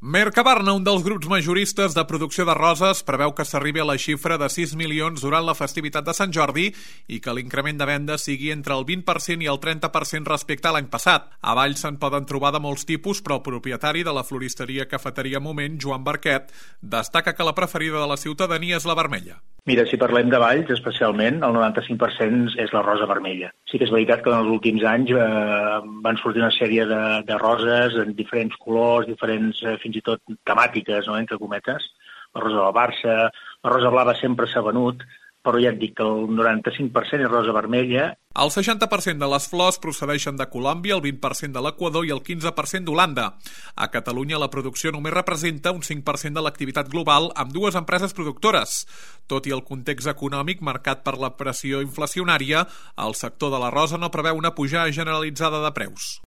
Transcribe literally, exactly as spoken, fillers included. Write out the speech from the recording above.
Mercabarna, un dels grups majoristes de producció de roses, preveu que s'arribi a la xifra de sis milions durant la festivitat de Sant Jordi i que l'increment de vendes sigui entre el vint per cent i el trenta per cent respecte a l'any passat. A Valls se'n poden trobar de molts tipus, però el propietari de la floristeria Cafeteria Moment, Joan Barquet, destaca que la preferida de la ciutadania és la vermella. Mira, si parlem de Valls, especialment, el noranta-cinc per cent és la rosa vermella. Sí que és veritat que en els últims anys eh, van sortir una sèrie de, de roses en diferents colors, diferents, eh, fins i tot temàtiques, no?, entre cometes. La rosa del Barça, la rosa blava sempre s'ha venut, però ja et dic que el noranta-cinc per cent és rosa vermella. El seixanta per cent de les flors procedeixen de Colòmbia, el vint per cent de l'Equador i el quinze per cent d'Holanda. A Catalunya la producció només representa un cinc per cent de l'activitat global amb dues empreses productores. Tot i el context econòmic marcat per la pressió inflacionària, el sector de la rosa no preveu una pujada generalitzada de preus.